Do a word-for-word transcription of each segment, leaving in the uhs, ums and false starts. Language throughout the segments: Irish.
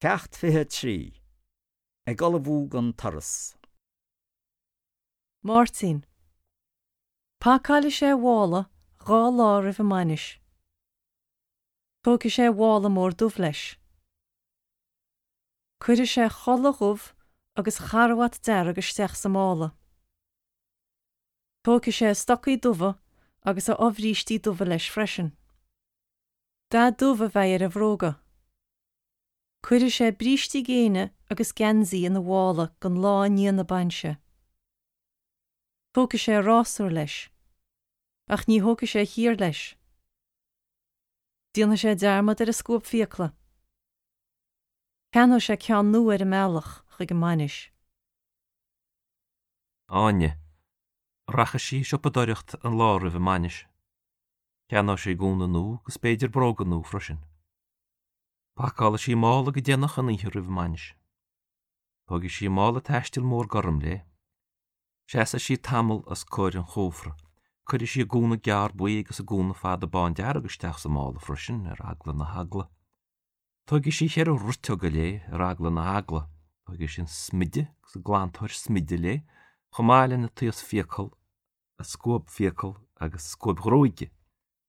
Ceacht fiche a trí. Ag ullmhú don turas. Máirtín. Pacálfaidh sé a mhála dhá lá roimh an mbainis. Tógfaidh sé a mhála mór dubh leis. Cuirfidh sé a chulaith dhubh agus a charbhat dearg isteach sa mála. Tógfaidh sé a stocaí dubha agus a fhobhrístí dubha leis freisin. Dath dubh a bheidh ar a bhróga. Cuirfidh sé brístí géine agus geansaí ina mhála don lá i ndiaidh na bainse. Tógfaidh sé a rásúr leis, ach ní thógfaidh sé a chíor leis. Déanfaidh sé dearmad ar a scuab fiacla. Ceannóidh sé ceann nua ar an mbealach chuig an mbainis. Áine. Rachaidh sí ag siopadóireacht an lá roimh an mbainis. Ceannóidh sí gúna nua agus b'fhéidir bróga nua freisin. Pacálfaidh sí mála go déanach an oíche roimh an mbainis. Tógfaidh sí mála taistil mór gorm léi. Seasfaidh sí tamall os comhair an chófra. Cuirfidh sí a gúna gearr buí agus a gúna fada bándearg isteach sa mála freisin, ar eagla na heagla. Tógfaidh sí ceithre riteoga léi, ar eagla na heagla. Tógfaidh sí an smideadh agus an glantóir smididh léi, chomh maith lena taos fiacal, a scuab fiacal agus scuab ghruaige.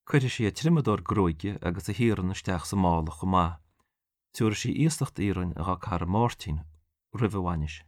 Cuirfidh sí a triomadóir gruaige agus a hiarann isteach sa mála chomh maith. Tabharfaidh sí iasacht iarainn dá cara Máirtín roimh an bhainis.